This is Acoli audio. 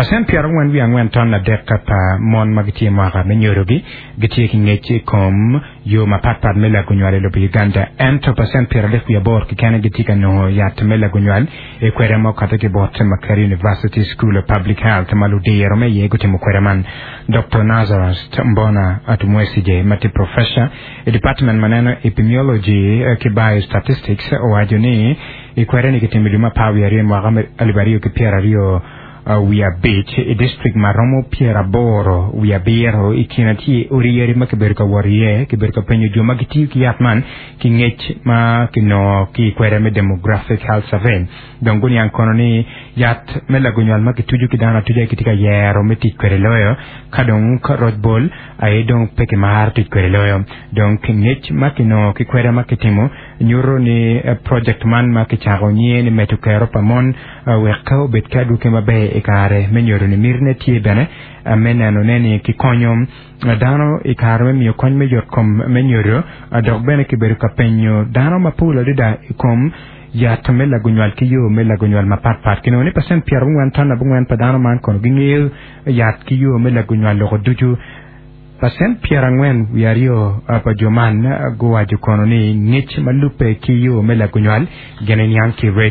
Pacent 44 ton adek pa mon ma gitye i mwaka me nyodogi gitye ki ngec i kom yo mapatpat me lago nywal i lobo Uganda, ento pacent 38 keken gitye ka nongo yat me lago nywal i kweda ma okato ki bot Makerere University School of Public Health ma ludiro me iye gutimo kweda man. Doktor Nazarus Mbona Tumwesigye ma tye professor i department ma neno Epimiology ki Biostatistics owaco ni i kweda-ni kitimo i dwe me apar wiye aryo i mwaka me 2025 i distrik ma romo 87 i kine tye odi yadi ma kibedo ka wot iye kibedo ka penyo jo ma gitiyo ki yat man ki ngec ma kinongo ki i kweda me Demographic Health Survey. Dong guniang kono ni yat me lago nywal ma kituco ki dano atuca kitye ka yero me tic kwede loyo ka dong roc bol aye dong pe kimaro tic kwede loyo. Dong ngec ma kinongo ki kweda ma kitimo nyuto ni project man ma kicako nyinge ni medo kero pa mon wek obed ki adwogi maber i kare me nyodo-ni mitine tye bene me nenone ni kikonyo dano i kare me miyo kony me yotkom me nyodo dok bene kibedo ka penyo dano mapol adada i kom yat me lago nywal ki yo me lago nywal mapat pat. Kinongo ni pacent pyerabongwen ton abongwen pa dano man kono gingeyo yat ki yo me lago nywal loko ducu. Pacent 42 pa jo man guwaco kono ni ngec ma lubbe ki yo me lago nywal gin eniang ki redio.